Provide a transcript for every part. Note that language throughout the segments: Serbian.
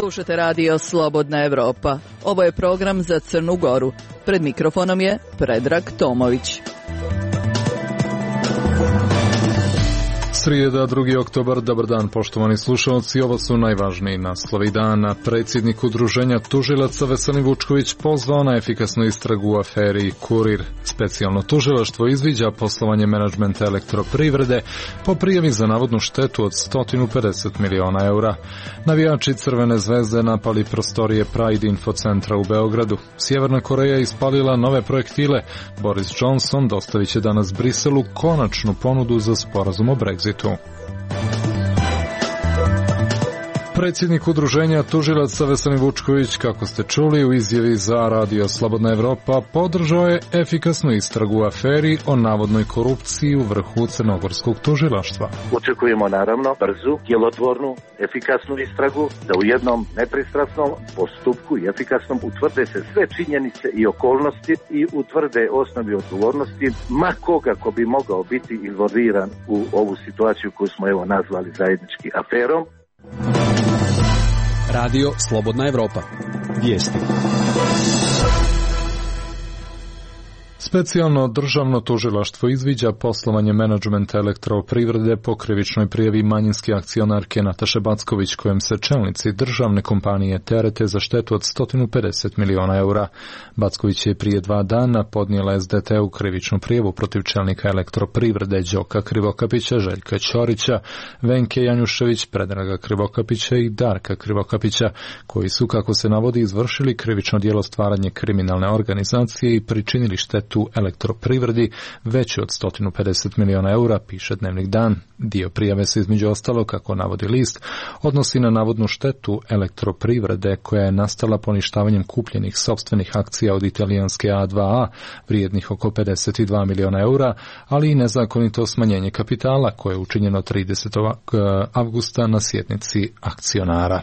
Slušate radio Slobodna Evropa. Ovo je program za Crnu Goru. Pred mikrofonom je Predrag Tomović. Srijeda, 2. oktobar, dobar dan poštovani slušalci, ovo su najvažniji naslovi dana. Predsjednik udruženja tužilaca Veselin Vučković pozvao na efikasnu istragu u aferi Kurir. Specijalno tužilaštvo izviđa poslovanje menadžmenta Elektroprivrede po prijavi za navodnu štetu od 150 miliona eura. Navijači Crvene zvezde napali prostorije Pride Infocentra u Beogradu. Sjeverna Koreja ispalila nove projektile. Boris Johnson dostavit će danas Briselu konačnu ponudu za sporazum o Brexitu. Predsjednik udruženja tužilaca Veselin Vučković, kako ste čuli u izjavi za radio Slobodna Evropa, podržao je efikasnu istragu u aferi o navodnoj korupciji u vrhu crnogorskog tužilaštva. Očekujemo naravno brzu, djelotvornu, efikasnu istragu, da u jednom nepristrasnom postupku i efikasnom utvrde se sve činjenice i okolnosti i utvrde osnovi odgovornosti ma koga ko bi mogao biti involviran u ovu situaciju koju smo nazvali zajednički aferom. Radio Slobodna Evropa. Vijesti. Specijalno državno tužilaštvo izviđa poslovanje menadžmenta Elektroprivrede po krivičnoj prijavi manjinske akcionarke Nataše Backović, kojem se čelnici državne kompanije terete za štetu od 150 miliona eura. Backović je prije 2 dana podnijela SDT-u krivičnu prijavu protiv čelnika Elektroprivrede Đoka Krivokapića, Željka Ćorića, Venke Janjušević, Predraga Krivokapića i Darka Krivokapića, koji su, kako se navodi, izvršili krivično djelo stvaranje kriminalne organizacije i pričinili štetu Elektroprivredi veći od 150 miliona eura, piše Dnevnik Dan. Dio prijave se između ostalo, kako navodi list, odnosi na navodnu štetu Elektroprivrede koja je nastala poništavanjem kupljenih sopstvenih akcija od italijanske A2A vrijednih oko 52 miliona eura, ali i nezakonito smanjenje kapitala koje je učinjeno 30. avgusta na sjednici akcionara.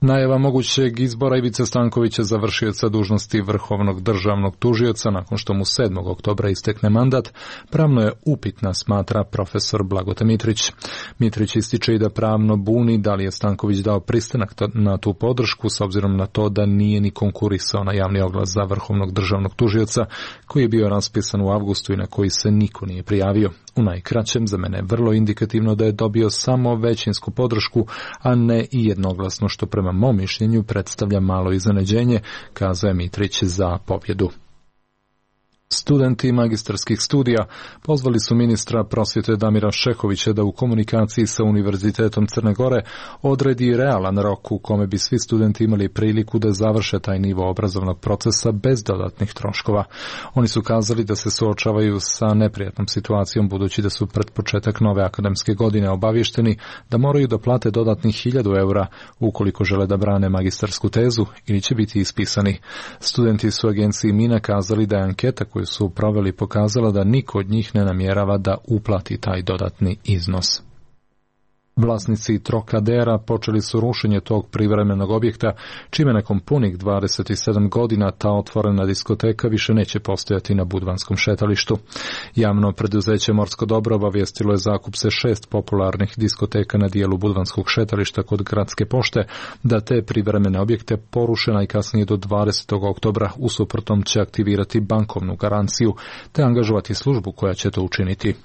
Najava mogućeg izbora Ivice Stankovića za vršioca dužnosti vrhovnog državnog tužioca nakon što mu 7. oktobra istekne mandat pravno je upitna, smatra profesor Blagote Mitrić. Mitrić ističe i da pravno buni da li je Stanković dao pristanak na tu podršku s obzirom na to da nije ni konkurisao na javni oglas za vrhovnog državnog tužioca koji je bio raspisan u avgustu i na koji se niko nije prijavio. U najkraćem, za mene je vrlo indikativno da je dobio samo većinsku podršku, a ne i jednoglasno, što prema mom mišljenju predstavlja malo iznenađenje, kazao je Mitrić za pobjedu. Studenti magistarskih studija pozvali su ministra prosvjete Damira Šehovića da u komunikaciji sa Univerzitetom Crne Gore odredi realan rok u kome bi svi studenti imali priliku da završe taj nivo obrazovnog procesa bez dodatnih troškova. Oni su kazali da se suočavaju sa neprijatnom situacijom budući da su pred početak nove akademske godine obavješteni da moraju da plate dodatnih 1000 eura ukoliko žele da brane magistarsku tezu ili će biti ispisani. Studenti su agenciji Mina kazali da je anketa koju su proveli pokazala da niko od njih ne namjerava da uplati taj dodatni iznos. Vlasnici Trokadera počeli su rušenje tog privremenog objekta, čime nakon punih 27 godina ta otvorena diskoteka više neće postojati na Budvanskom šetalištu. Javno preduzeće Morsko dobro obavijestilo je zakup se 6 popularnih diskoteka na dijelu Budvanskog šetališta kod Gradske pošte, da te privremene objekte poruše najkasnije do 20. oktobra, u suprotnom će aktivirati bankovnu garanciju te angažovati službu koja će to učiniti.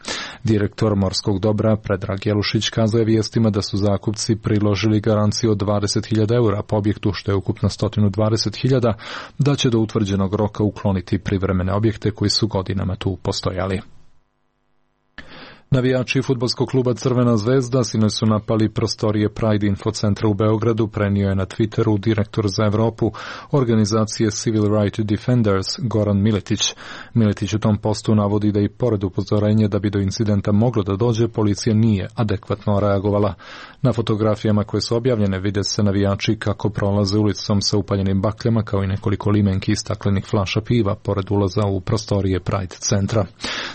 Direktor Morskog dobra Predrag Jelušić kazao je vijestima da su zakupci priložili garanciju od 20.000 eura po objektu, što je ukupno 120.000, da će do utvrđenog roka ukloniti privremene objekte koji su godinama tu postojali. Navijači fudbalskog kluba Crvena zvezda sinoć su napali prostorije Pride Infocentra u Beogradu, prenio je na Twitteru direktor za Evropu organizacije Civil Rights Defenders Goran Miletić. Miletić u tom postu navodi da i pored upozorenja da bi do incidenta moglo da dođe, policija nije adekvatno reagovala. Na fotografijama koje su objavljene vide se navijači kako prolaze ulicom sa upaljenim bakljama, kao i nekoliko limenki i staklenih flaša piva pored ulaza u prostorije Pride centra.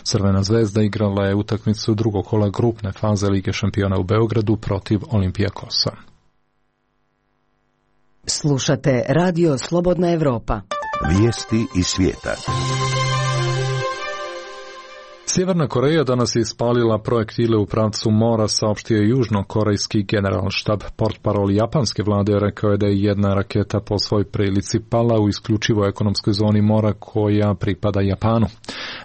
Crvena zvezda igrala je utakmicu drugog kola grupne faze Lige šampiona u Beogradu protiv Olimpijakosa. Slušate Radio Slobodna Evropa. Vijesti iz svijeta. Sjeverna Koreja danas je ispalila projektile u pravcu mora, saopštio je južnokorejski generalštab. Portparol japanske vlade rekao je da je jedna raketa po svoj prilici pala u isključivoj ekonomskoj zoni mora koja pripada Japanu.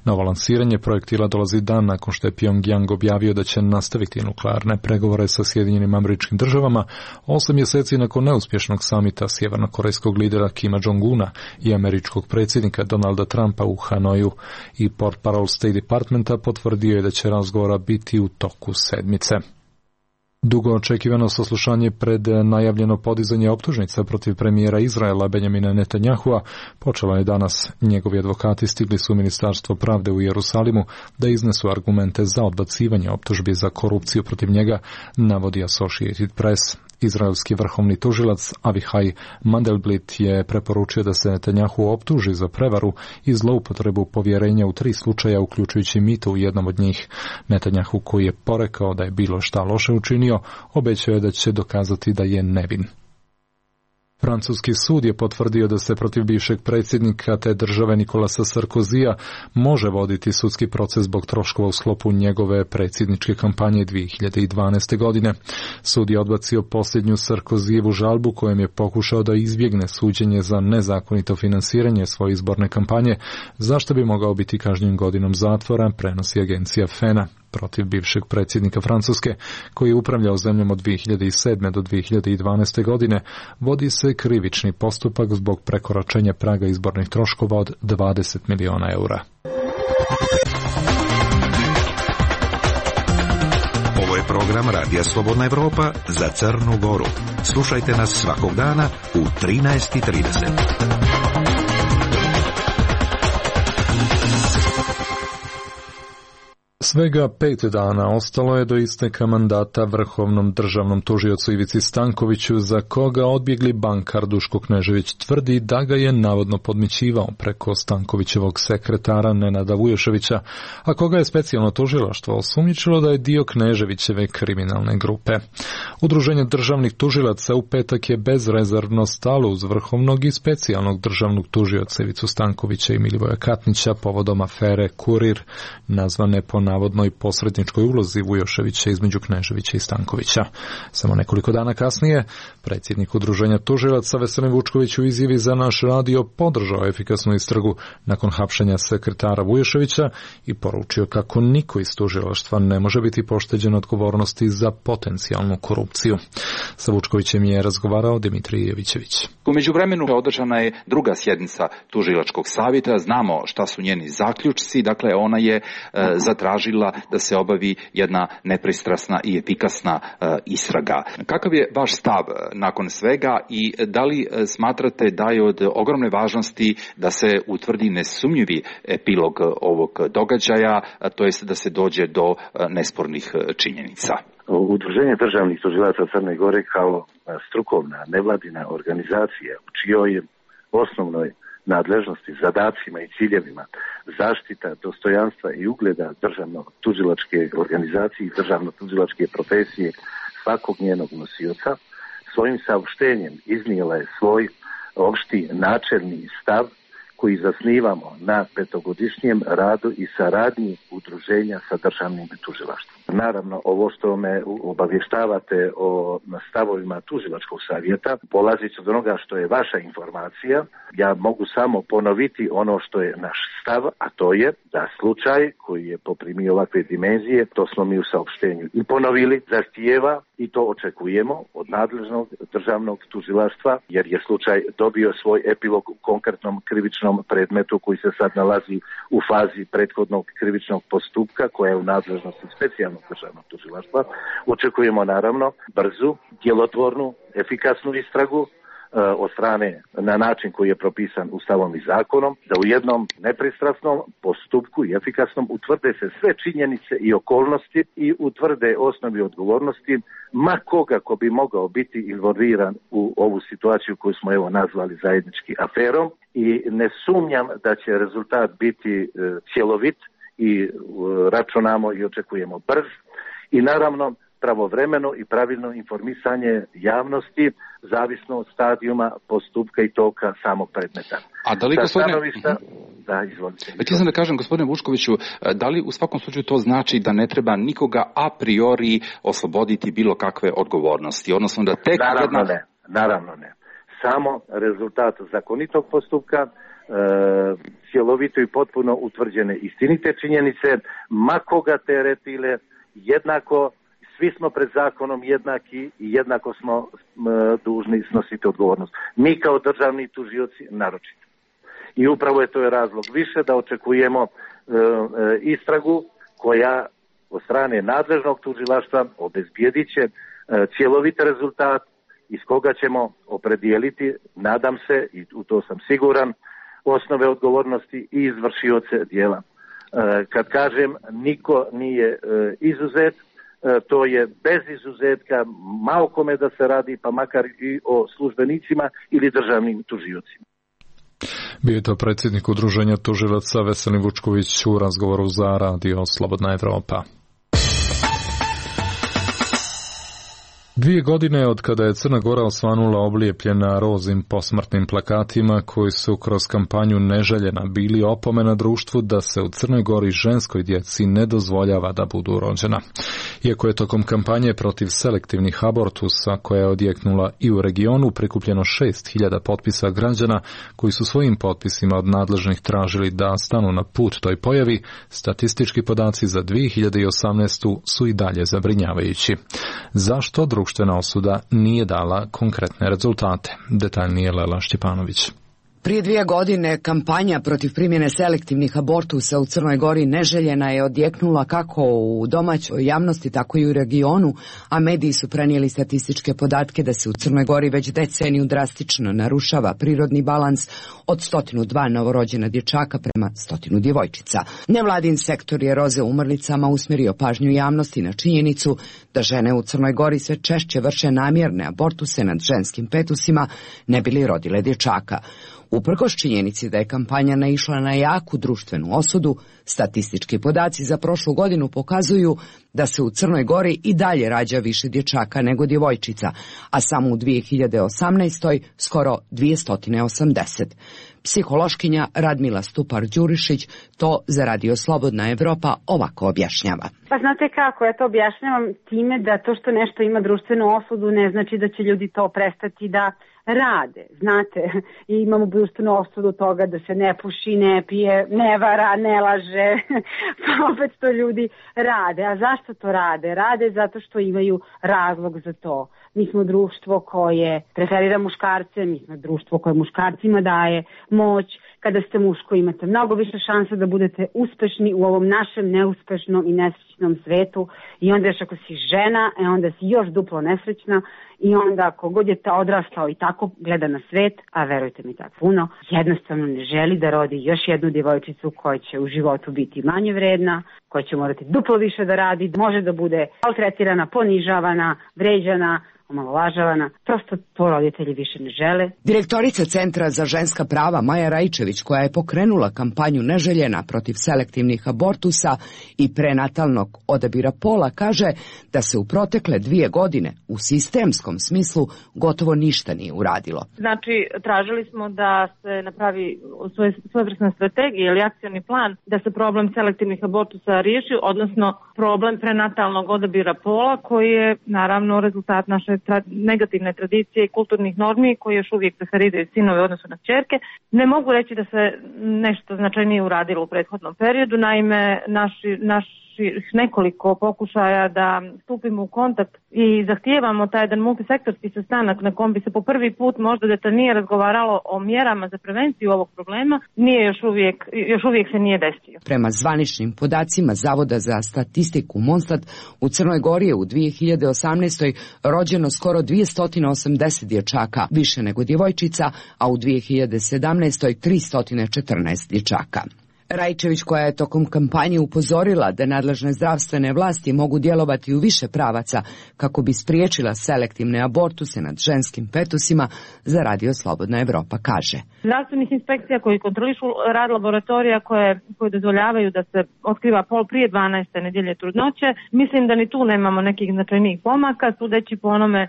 Novo lansiranje projektila dolazi dan nakon što je Pyongyang objavio da će nastaviti nuklearne pregovore sa Sjedinjenim Američkim Državama 8 mjeseci nakon neuspješnog samita sjevernokorejskog lidera Kima Jong-una i američkog predsjednika Donalda Trumpa u Hanoju. I portparol State Departmenta potvrdio je da će razgovora biti u toku sedmice. Dugo očekivano saslušanje pred najavljeno podizanje optužnica protiv premijera Izraela Benjamina Netanyahua počelo je danas. Njegovi advokati stigli su u Ministarstvo pravde u Jerusalimu da iznesu argumente za odbacivanje optužbi za korupciju protiv njega, navodi Associated Press. Izraelski vrhovni tužilac Avihaj Mandelblit je preporučio da se Netanjahu optuži za prevaru i zloupotrebu povjerenja u 3 slučaja, uključujući mito u jednom od njih. Netanjahu, koji je porekao da je bilo šta loše učinio, obećao je da će dokazati da je nevin. Francuski sud je potvrdio da se protiv bivšeg predsjednika te države Nicolasa Sarkozija može voditi sudski proces zbog troškova u sklopu njegove predsjedničke kampanje 2012. godine. Sud je odbacio posljednju Sarkozijevu žalbu kojom je pokušao da izbjegne suđenje za nezakonito finansiranje svoje izborne kampanje, zašto bi mogao biti kažnjen godinom zatvora, prenosi agencija FENA. Protiv bivšeg predsjednika Francuske, koji je upravljao zemljom od 2007. do 2012. godine, vodi se krivični postupak zbog prekoračenja praga izbornih troškova od 20 miliona eura. Ovo je program Radija Slobodna Evropa za Crnu Goru. Slušajte nas svakog dana u 13:30. Svega 5 dana ostalo je do isteka mandata vrhovnom državnom tužiocu Ivici Stankoviću, za koga odbjegli bankar Duško Knežević tvrdi da ga je navodno podmićivao preko Stankovićevog sekretara Nenada Vujoševića, a koga je specijalno tužilaštvo osumnjičilo da je dio Kneževićeve kriminalne grupe. Udruženje državnih tužilaca u petak je bezrezervno stalo uz vrhovnog i specijalnog državnog tužioca Ivicu Stankovića i Milivoja Katnića povodom afere Kurir, nazvane po navodnoj posredničkoj ulozi Vujoševića između Kneževića i Stankovića. Samo nekoliko dana kasnije, predsjednik udruženja tužilaca Veselin Vučković u izjavi za naš radio podržao efikasnu istragu nakon hapšenja sekretara Vujoševića i poručio kako niko iz tužilaštva ne može biti pošteđen odgovornosti za potencijalnu korupciju. Sa Vučkovićem je razgovarao Dimitrij Jevićević. U međuvremenu održana je druga sjednica tužilačkog savjeta. Znamo šta su njeni zaključci. Dakle, ona je zatražila da se obavi jedna nepristrasna i efikasna istraga. Kakav je vaš stav nakon svega i da li smatrate da je od ogromne važnosti da se utvrdi nesumnjivi epilog ovog događaja, to jest da se dođe do nespornih činjenica? Udruženje državnih tužilaca Crne Gore kao strukovna nevladina organizacija u čijoj osnovnoj nadležnosti, zadacima i ciljevima zaštita dostojanstva i ugleda državno-tužilačke organizacije i državno-tužilačke profesije svakog njenog nosioca, svojim saopštenjem iznijela je svoj opšti načelni stav koji zasnivamo na 5-godišnjem radu i saradnji udruženja sa državnim tužilaštvom. Naravno, ovo što me obavještavate o stavovima tužilačkog savjeta, polazići od onoga što je vaša informacija, ja mogu samo ponoviti ono što je naš stav, a to je da slučaj koji je poprimio ovakve dimenzije, to smo mi u saopštenju i ponovili, zahtijeva i to očekujemo od nadležnog državnog tužilaštva, jer je slučaj dobio svoj epilog u konkretnom krivičnom predmetu koji se sad nalazi u fazi prethodnog krivičnog postupka koja je u nadležnosti specijalnog državnog tužilaštva. Očekujemo naravno brzu, djelotvornu, efikasnu istragu od strane na način koji je propisan Ustavom i zakonom, da u jednom nepristrasnom postupku i efikasnom utvrde se sve činjenice i okolnosti i utvrde osnovi odgovornosti ma koga ko bi mogao biti involviran u ovu situaciju koju smo evo nazvali zajednički aferom, i ne sumnjam da će rezultat biti cjelovit i računamo i očekujemo brz i naravno pravovremeno i pravilno informisanje javnosti zavisno od stadijuma postupka i toka samog predmeta. A da li, Da, izvolite. Htio sam da kažem, gospodine Vučkoviću, da li u svakom slučaju to znači da ne treba nikoga a priori osloboditi bilo kakve odgovornosti? Odnosno da tek Naravno ne. Samo rezultat zakonitog postupka, cjelovito i potpuno utvrđene istinite činjenice, ma koga teretile, jednako, svi smo pred zakonom jednaki i jednako smo dužni snositi odgovornost. Mi kao državni tužioci naročito. I upravo je to razlog više da očekujemo istragu koja od strane nadležnog tužilaštva obezbijedit će cjelovit rezultat iz koga ćemo opredijeliti, nadam se, i u to sam siguran, osnove odgovornosti i izvršioce djela. Kad kažem niko nije izuzet, to je bez izuzetka ma o kome da se radi, pa makar i o službenicima ili državnim tužiocima. Bio je to predsjednik Udruženja tužilaca Veselin Vučković u razgovoru za Radio Slobodna Evropa. 2 godine od kada je Crna Gora osvanula oblijepljena rozim posmrtnim plakatima koji su kroz kampanju Neželjena bili opomena društvu da se u Crnoj Gori ženskoj djeci ne dozvoljava da budu rođena. Iako je tokom kampanje protiv selektivnih abortusa koja je odjeknula i u regionu prikupljeno 6.000 potpisa građana koji su svojim potpisima od nadležnih tražili da stanu na put toj pojavi, statistički podaci za 2018. su i dalje zabrinjavajući. Zašto društvena osuda nije dala konkretne rezultate? Detaljnije Lela Šćepanović. Prije 2 godine kampanja protiv primjene selektivnih abortusa u Crnoj Gori Neželjena je odjeknula kako u domaćoj javnosti, tako i u regionu, a mediji su prenijeli statističke podatke da se u Crnoj Gori već deceniju drastično narušava prirodni balans od 102 novorođena dječaka prema 100 djevojčica. Nevladin sektor je roze umrlicama usmjerio pažnju javnosti na činjenicu da žene u Crnoj Gori sve češće vrše namjerne abortuse nad ženskim fetusima ne bi li rodile dječaka. Uprkos činjenici da je kampanja naišla na jaku društvenu osudu, statistički podaci za prošlu godinu pokazuju da se u Crnoj Gori i dalje rađa više dječaka nego djevojčica, a samo u 2018. skoro 280. Psihološkinja Radmila Stupar-Đurišić to za Radio Slobodna Evropa ovako objašnjava. Pa znate kako, ja to objašnjavam time da to što nešto ima društvenu osudu ne znači da će ljudi to prestati da rade. Znate, imamo društvenu osudu toga da se ne puši, ne pije, ne vara, ne laže, pa opet to ljudi rade. A zašto to rade? Rade zato što imaju razlog za to. Mi smo društvo koje preferira muškarce, mi smo društvo koje muškarcima daje moć. Kada ste muško imate mnogo više šanse da budete uspešni u ovom našem neuspešnom i nesrećnom svetu i onda još ako si žena, onda si još duplo nesrećna i onda ako god je odrastao i tako gleda na svet, a verujte mi tako puno, jednostavno ne želi da rodi još jednu djevojčicu koja će u životu biti manje vredna, koja će morati duplo više da radi, može da bude maltretirana, ponižavana, vređana, omalovažavana, prosto to roditelji više ne žele. Direktorica Centra za ženska prava Maja Rajčević, koja je pokrenula kampanju Neželjena protiv selektivnih abortusa i prenatalnog odabira pola, kaže da se u protekle 2 godine u sistemskom smislu gotovo ništa nije uradilo. Znači, tražili smo da se napravi svojevrsna strategija ili akcioni plan da se problem selektivnih abortusa riješi, odnosno problem prenatalnog odabira pola koji je naravno rezultat naše negativne tradicije i kulturnih normi koji još uvijek preferiraju sinove u odnosu na kćerke. Ne mogu reći da se nešto značajnije uradilo u prethodnom periodu, naime naši nekoliko pokušaja da stupimo u kontakt i zahtijevamo taj jedan multisektorski sastanak na kom bi se po prvi put možda detaljnije razgovaralo o mjerama za prevenciju ovog problema, još uvijek se nije desio. Prema zvaničnim podacima Zavoda za statistiku Monstat, u Crnoj Gori je u 2018. rođeno skoro 280 dječaka, više nego djevojčica, a u 2017. 314 dječaka. Rajčević, koja je tokom kampanje upozorila da nadležne zdravstvene vlasti mogu djelovati u više pravaca kako bi spriječila selektivne abortuse nad ženskim fetusima, za Radio Slobodna Evropa kaže. Zdravstvenih inspekcija koji kontrolišu rad laboratorija koje dozvoljavaju da se otkriva pol prije 12. nedjelje trudnoće, mislim da ni tu nemamo nekih značajnijih pomaka, sudeći po onome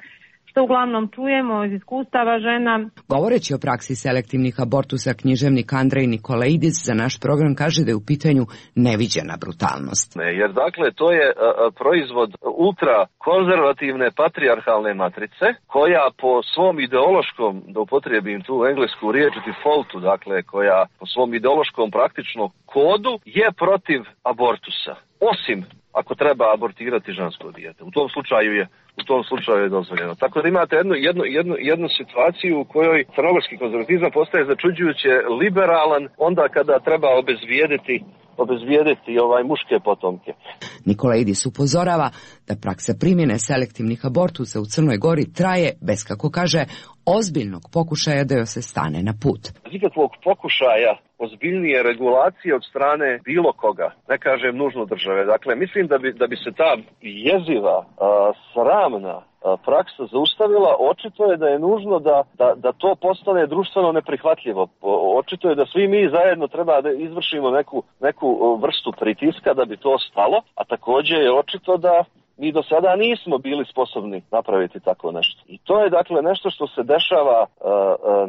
što uglavnom čujemo iz iskustava žena. Govoreći o praksi selektivnih abortusa, književnik Andrej Nikolaidis za naš program kaže da je u pitanju neviđena brutalnost. Jer dakle to je proizvod ultra konzervativne patrijarhalne matrice koja po svom ideološkom, da upotrijebim tu englesku riječ defaultu, dakle koja po svom ideološkom praktičnom kodu je protiv abortusa. Osim ako treba abortirati žensko dijete. U tom slučaju je dozvoljeno. Tako da imate jednu situaciju u kojoj crnogorski konzervatizam postaje začuđujuće liberalan onda kada treba obezvijediti muške potomke. Nikolaidis upozorava da praksa primjene selektivnih abortusa u Crnoj Gori traje bez, kako kaže, ozbiljnog pokušaja da joj se stane na put. Nikakvog pokušaja ozbiljnije regulacije od strane bilo koga, ne kažem nužno države. Dakle, mislim da bi se ta jeziva, sramna praksa zaustavila. Očito je da je nužno da to postane društveno neprihvatljivo. Očito je da svi mi zajedno treba da izvršimo neku vrstu pritiska da bi to stalo, a također je očito da mi do sada nismo bili sposobni napraviti tako nešto. I to je dakle nešto što se dešava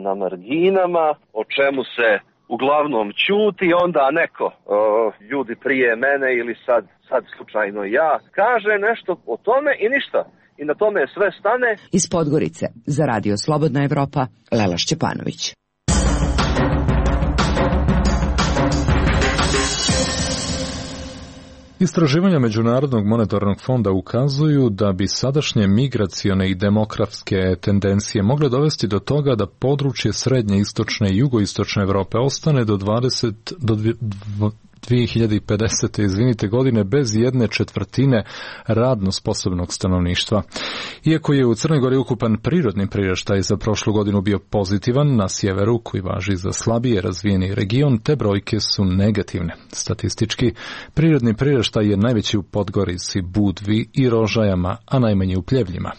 na marginama, o čemu se uglavnom ćuti, onda neko, ljudi prije mene ili sad slučajno ja, kaže nešto o tome i ništa. I na tome sve stane. Iz Podgorice za Radio Slobodna Evropa, Lela Šćepanović. Istraživanja Međunarodnog monetarnog fonda ukazuju da bi sadašnje migracione i demografske tendencije mogle dovesti do toga da područje srednje, istočne i jugoistočne Evrope ostane do 2050. godine bez 1/4 radno sposobnog stanovništva. Iako je u Crnoj Gori ukupan prirodni priraštaj za prošlu godinu bio pozitivan, na sjeveru, koji važi za slabije razvijeni region, te brojke su negativne. Statistički, prirodni priraštaj je najveći u Podgorici, Budvi i Rožajama, a najmanji u Pljevljima.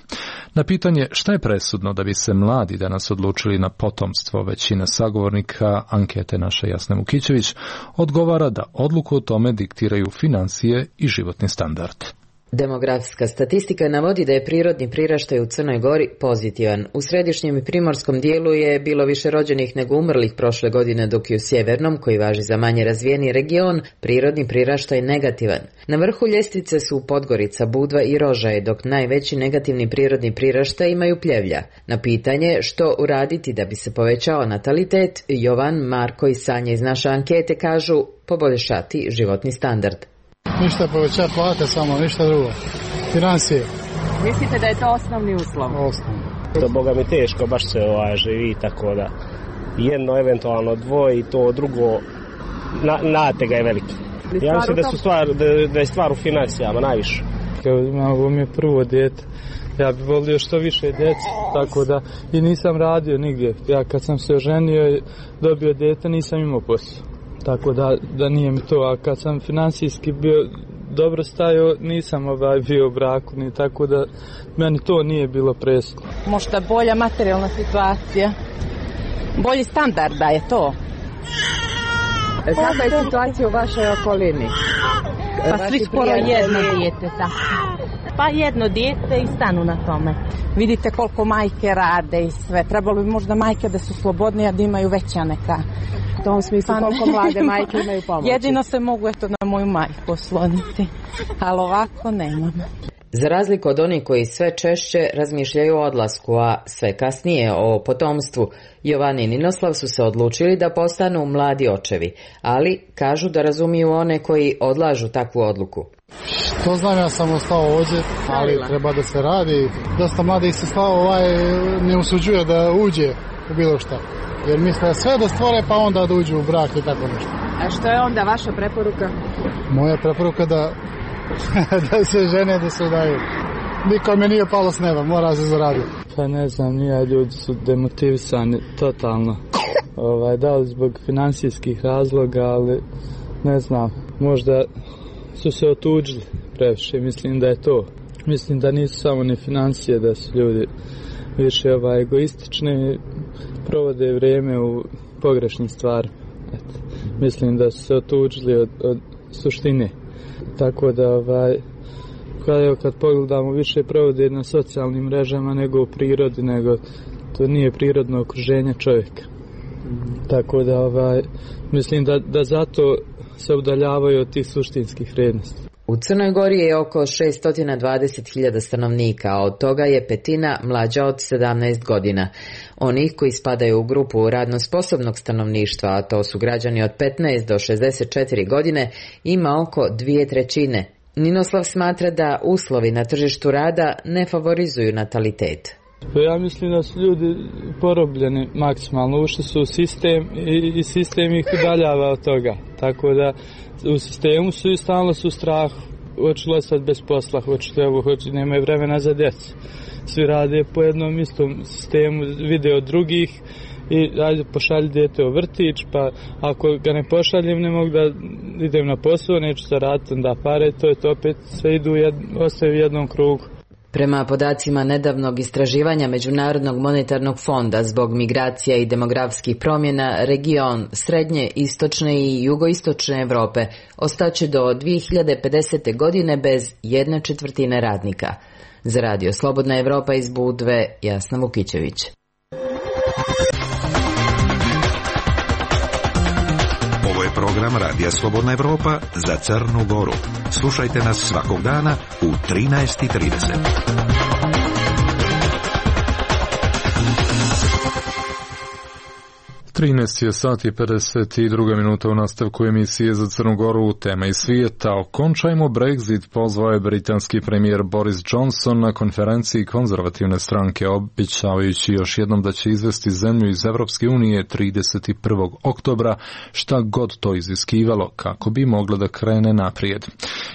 Na pitanje šta je presudno da bi se mladi danas odlučili na potomstvo, većina sagovornika ankete naše Jasne Mukićević odgovara da odluku o tome diktiraju financije i životni standard. Demografska statistika navodi da je prirodni priraštaj u Crnoj Gori pozitivan. U središnjem i primorskom dijelu je bilo više rođenih nego umrlih prošle godine, dok je u sjevernom, koji važi za manje razvijeni region, prirodni priraštaj negativan. Na vrhu ljestvice su Podgorica, Budva i Rožaje, dok najveći negativni prirodni priraštaj imaju Pljevlja. Na pitanje što uraditi da bi se povećao natalitet, Jovan, Marko i Sanja iz naše ankete kažu poboljšati životni standard. Ništa povećati plate, samo ništa drugo. Financije. Mislite da je to osnovni uslov? Osnovni. To boga mi teško, baš se živi, tako da jedno, eventualno dvoje i to drugo, natega je veliki. Ja mislim da je stvar u financijama najviše. Ovo mi je prvo dijete. Ja bih volio što više djece, tako da i nisam radio nigdje. Ja kad sam se oženio i dobio dijete nisam imao posao. Tako da nije mi to, a kad sam financijski bio dobro stajao, nisam bio u braku, ni tako da meni to nije bilo presudno. Možda bolja materijalna situacija, bolji standard da je to. Kakva je situacija u vašoj okolini? Pa svi skoro jedno dijete, pa jedno dijete i stanu na tome. Vidite koliko majke rade i sve, trebalo bi možda majke da su slobodnije, da imaju veća neka. U tom smislu koliko mlade majke imaju pomoći. Jedino se mogu na moju majku osloniti, ali ovako nemam. Za razliku od onih koji sve češće razmišljaju o odlasku, a sve kasnije o potomstvu, Jovan i Ninoslav su se odlučili da postanu mladi očevi, ali kažu da razumiju one koji odlažu takvu odluku. To znam, ja sam ostao ovdje, ali treba da se radi. Dosta mladih se ne usuđuje da uđe u bilo šta. Jer misle sve da stvore pa onda da uđu u brak i tako nešto. A što je onda vaša preporuka? Moja preporuka da se žene, da se udaju. Nikome nije palo s neba, mora se zaraditi. Pa ne znam, ljudi su demotivisani totalno. Da li zbog financijskih razloga, ali ne znam, možda su se otuđili previše, mislim da je to. Mislim da nisu samo ni financije, da su ljudi više egoistični, provode vrijeme u pogrešnim stvarima. Mislim da su se otuđili od suštine. Tako da kad pogledamo više provode na socijalnim mrežama nego u prirodi, nego to nije prirodno okruženje čovjeka. Tako da mislim da zato se udaljavaju od tih suštinskih vrijednosti. U Crnoj Gori je oko 620.000 stanovnika, a od toga je petina mlađa od 17 godina. Onih koji spadaju u grupu radno sposobnog stanovništva, a to su građani od 15 do 64 godine, ima oko 2/3. Ninoslav smatra da uslovi na tržištu rada ne favorizuju natalitet. Ja mislim da su ljudi porobljeni maksimalno, ušli su u sistem i sistem ih udaljava od toga. Tako da u sistemu su i stalno su u strahu. Hoću ostati bez posla, nemaju vremena za djecu. Svi rade po jednom istom sistemu, vide od drugih i ajde pošalji dijete u vrtić, pa ako ga ne pošaljem ne mogu da idem na posao, neću zaraditi onda pare, to je to opet sve ostaju u jednom krugu. Prema podacima nedavnog istraživanja Međunarodnog monetarnog fonda zbog migracija i demografskih promjena, region srednje, istočne i jugoistočne Europe ostaće do 2050. godine bez 1/4 radnika. Za Radio Slobodna Evropa iz Budve, Jasna Vukićević. Ovo je program Radija Slobodna Evropa za Crnu Goru. Slušajte nas svakog dana u 13:30. 13 sati 52 minuta u nastavku emisije za Crnu Goru. Tema iz svijeta. Okončajmo Brexit, pozvao je britanski premijer Boris Johnson na konferenciji konzervativne stranke, obećavajući još jednom da će izvesti zemlju iz Evropske unije 31. oktobra, šta god to iziskivalo, kako bi mogla da krene naprijed.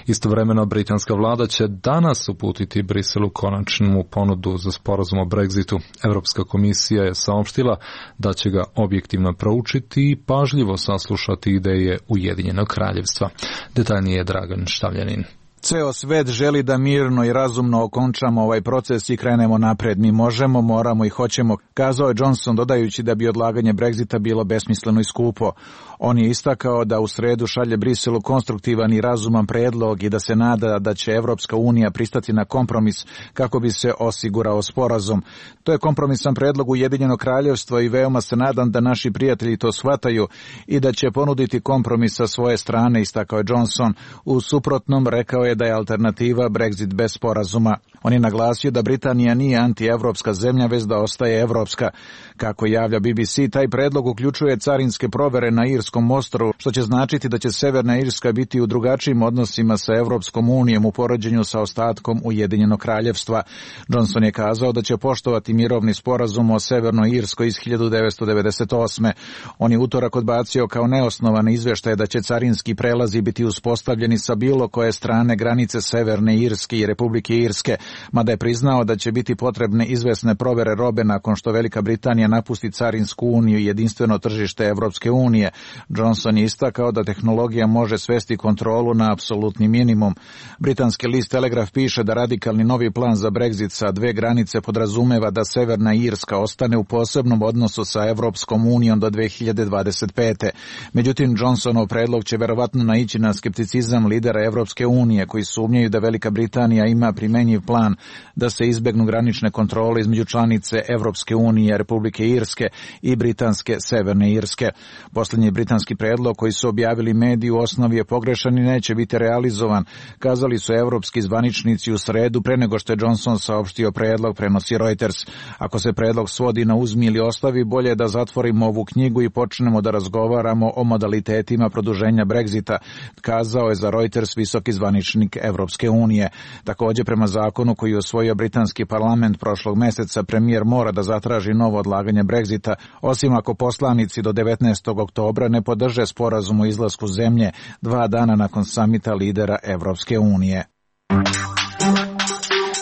Istovremeno, britanska vlada će danas uputiti Briselu konačnu ponudu za sporazum o Brexitu. Evropska komisija je saopštila da će ga objektivno proučiti i pažljivo saslušati ideje Ujedinjenog kraljevstva. Detaljnije je Dragan Štavljanin. Ceo svet želi da mirno i razumno okončamo ovaj proces i krenemo napred. Mi možemo, moramo i hoćemo, kazao je Johnson, dodajući da bi odlaganje Brexita bilo besmisleno i skupo. On je istakao da u sredu šalje Briselu konstruktivan i razuman predlog i da se nada da će Evropska unija pristati na kompromis kako bi se osigurao sporazum. To je kompromisan predlog Ujedinjenog kraljevstva i veoma se nadam da naši prijatelji to shvataju i da će ponuditi kompromis sa svoje strane, istakao je Johnson. U suprotnom, rekao je da je alternativa Brexit bez sporazuma. On je naglasio da Britanija nije antievropska zemlja, već da ostaje evropska. Kako javlja BBC, taj predlog uključuje carinske provere na Irskom ostrvu, što će značiti da će Severna Irska biti u drugačijim odnosima sa Evropskom unijom u poređenju sa ostatkom Ujedinjenog kraljevstva. Johnson je kazao da će poštovati mirovni sporazum o Severnoj Irskoj iz 1998. On je utorak odbacio kao neosnovan izveštaj da će carinski prelazi biti uspostavljeni sa bilo koje strane granice Severne Irske i Republike Irske, mada je priznao da će biti potrebne izvesne provere robe nakon što Velika Britanija napusti carinsku uniju i jedinstveno tržište Evropske unije. Johnson je istakao da tehnologija može svesti kontrolu na apsolutni minimum. Britanski list Telegraph piše da radikalni novi plan za Brexit sa dve granice podrazumeva da Severna Irska ostane u posebnom odnosu sa Evropskom unijom do 2025. Međutim, Johnsonov predlog će verovatno naići na skepticizam lidera Evropske unije, koji sumnjaju da Velika Britanija ima primenjiv plan da se izbegnu granične kontrole između članice Evropske unije, Republike Irske i britanske Severne Irske. Posljednji britanski predlog koji su objavili mediji u osnovi je pogrešan i neće biti realizovan, kazali su evropski zvaničnici u sredu pre nego što je Johnson saopštio predlog, prenosi Reuters. Ako se predlog svodi na uzmi ili ostavi, bolje je da zatvorimo ovu knjigu i počnemo da razgovaramo o modalitetima produženja Brexita, kazao je za Reuters visoki zvaničnik Evropske unije. Također, prema zakonu koji je usvojio britanski parlament prošlog meseca, premijer mora da zatraži novo odlaganje Brexita, osim ako poslanici do 19. oktobra ne podrže sporazum o izlasku zemlje 2 dana nakon samita lidera Evropske unije.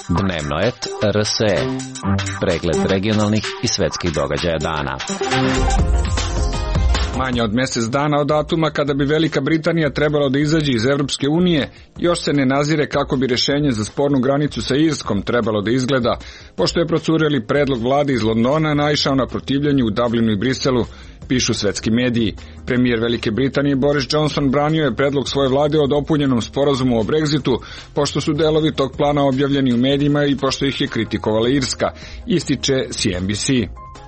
Dnevnoet RSE. Pregled regionalnih i svetskih događaja dana. Manje od mjesec dana od datuma kada bi Velika Britanija trebala da izađe iz Evropske unije, još se ne nazire kako bi rješenje za spornu granicu sa Irskom trebalo da izgleda, pošto je procureli predlog vlade iz Londona naišao na protivljenje u Dublinu i Briselu. pišu svetski mediji. Premijer Velike Britanije Boris Johnson branio je predlog svoje vlade o dopunjenom sporazumu o Brexitu, pošto su delovi tog plana objavljeni u medijima i pošto ih je kritikovala Irska, ističe CNBC.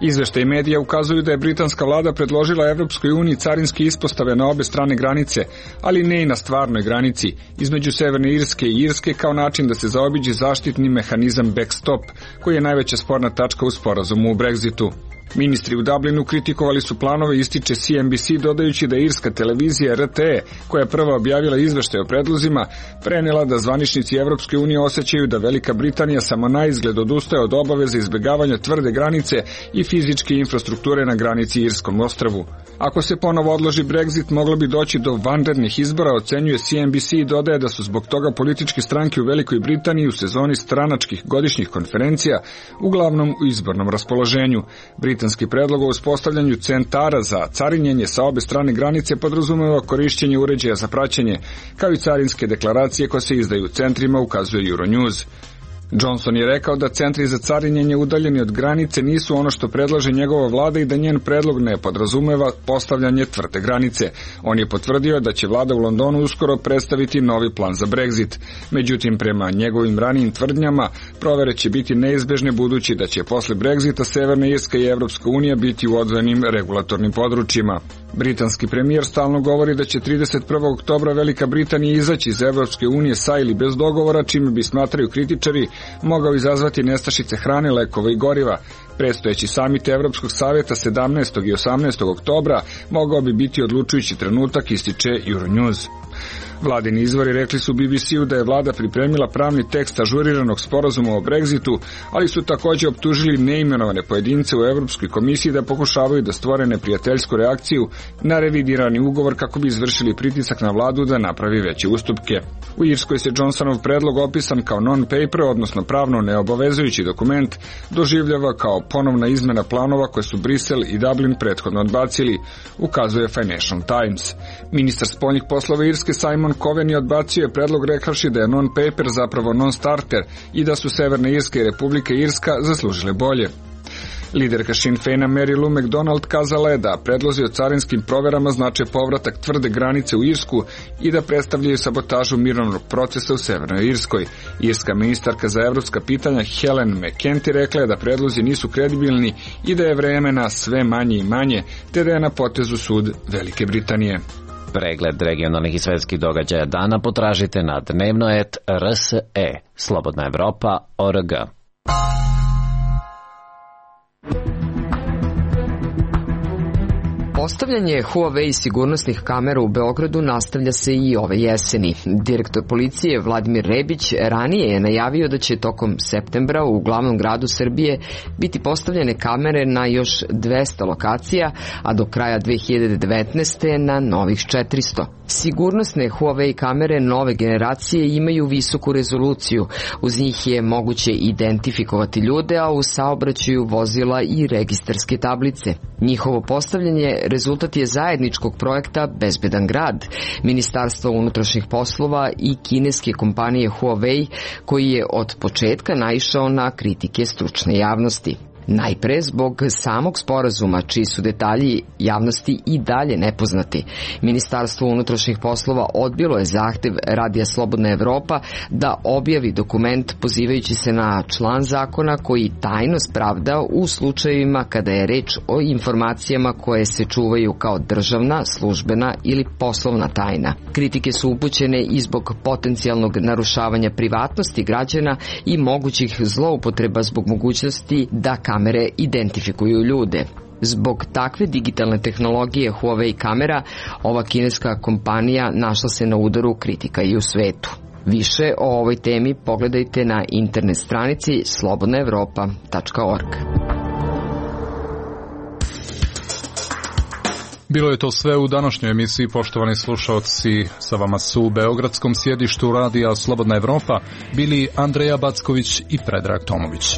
Izveštaji medija ukazuju da je britanska vlada predložila Evropskoj uniji carinske ispostave na obe strane granice, ali ne i na stvarnoj granici, između Severne Irske i Irske kao način da se zaobiđe zaštitni mehanizam backstop, koji je najveća sporna tačka u sporazumu u Brexitu. Ministri u Dublinu kritikovali su planove, ističe CNBC, dodajući da irska televizija RTE, koja je prva objavila izveštaj o predlozima, prenela da zvaničnici Evropske unije osjećaju da Velika Britanija samo na izgled odustaje od obaveze izbjegavanja tvrde granice i fizičke infrastrukture na granici Irskom ostrvu. Ako se ponovo odloži Brexit, moglo bi doći do vanrednih izbora, ocenjuje CNBC i dodaje da su zbog toga političke stranke u Velikoj Britaniji u sezoni stranačkih godišnjih konferencija uglavnom u izbornom raspoloženju. Britanski predlog o uspostavljanju centara za carinjenje sa obe strane granice podrazumeva korišćenje uređaja za praćenje, kao i carinske deklaracije koje se izdaju u centrima, ukazuje Euronews. Johnson je rekao da centri za carinjenje udaljeni od granice nisu ono što predlaže njegova vlada i da njen predlog ne podrazumeva postavljanje tvrde granice. On je potvrdio da će vlada u Londonu uskoro predstaviti novi plan za Brexit. Međutim, prema njegovim ranijim tvrdnjama, provere će biti neizbežne budući da će posle Brexita Severna Irska i Evropska unija biti u odvojenim regulatornim područjima. Britanski premijer stalno govori da će 31. oktobra Velika Britanija izaći iz Evropske unije sa ili bez dogovora, čime bi, smatraju kritičari, mogao izazvati nestašice hrane, lekova i goriva. Predstojeći samit Evropskog savjeta 17. i 18. oktobra mogao bi biti odlučujući trenutak, ističe Euronews. Vladini izvori rekli su BBC-u da je vlada pripremila pravni tekst ažuriranog sporazuma o Brexitu, ali su također optužili neimenovane pojedince u Evropskoj komisiji da pokušavaju da stvore neprijateljsku reakciju na revidirani ugovor kako bi izvršili pritisak na vladu da napravi veće ustupke. U Irskoj se Johnsonov predlog, opisan kao non-paper, odnosno pravno neobavezujući dokument, doživljava kao ponovna izmena planova koje su Brisel i Dublin prethodno odbacili, ukazuje Financial Times. Ministar spoljnih poslova Irske Simon Coven je odbacio predlog rekavši da je non-paper zapravo non-starter i da su Severna Irska i Republika Irska zaslužile bolje. Liderka Sinn Féina Mary Lou McDonald kazala je da predlozi o carinskim proverama znače povratak tvrde granice u Irsku i da predstavljaju sabotažu mirovnog procesa u Severnoj Irskoj. Irska ministarka za evropska pitanja Helen McEntee rekla je da predlozi nisu kredibilni i da je vremena sve manje i manje, te da je na potezu sud Velike Britanije. Pregled regionalnih i svetskih događaja dana potražite na dnevno.rse, Slobodna Evropa.org. Postavljanje Huawei sigurnosnih kamera u Beogradu nastavlja se i ove jeseni. Direktor policije Vladimir Rebić ranije je najavio da će tokom septembra u glavnom gradu Srbije biti postavljene kamere na još 200 lokacija, a do kraja 2019. na novih 400. Sigurnosne Huawei kamere nove generacije imaju visoku rezoluciju. Uz njih je moguće identifikovati ljude, a u saobraćaju vozila i registarske tablice. Njihovo postavljanje rezultat je zajedničkog projekta Bezbedan grad, Ministarstva unutrašnjih poslova i kineske kompanije Huawei, koji je od početka naišao na kritike stručne javnosti. Najpre zbog samog sporazuma, čiji su detalji javnosti i dalje nepoznati. Ministarstvo unutrašnjih poslova odbilo je zahtev Radija Slobodna Evropa da objavi dokument pozivajući se na član zakona koji tajnost pravda u slučajevima kada je reč o informacijama koje se čuvaju kao državna, službena ili poslovna tajna. Kritike su upućene i zbog potencijalnog narušavanja privatnosti građana i mogućih zloupotreba zbog mogućnosti da kamere identifikuju ljude. Zbog takve digitalne tehnologije Huawei kamera, ova kineska kompanija našla se na udaru kritika i u svetu. Više o ovoj temi pogledajte na internet stranici slobodnaevropa.org. Bilo je to sve u današnjoj emisiji, poštovani slušalci. Sa vama su u beogradskom sjedištu Radija Slobodna Evropa bili Andreja Backović i Predrag Tomović.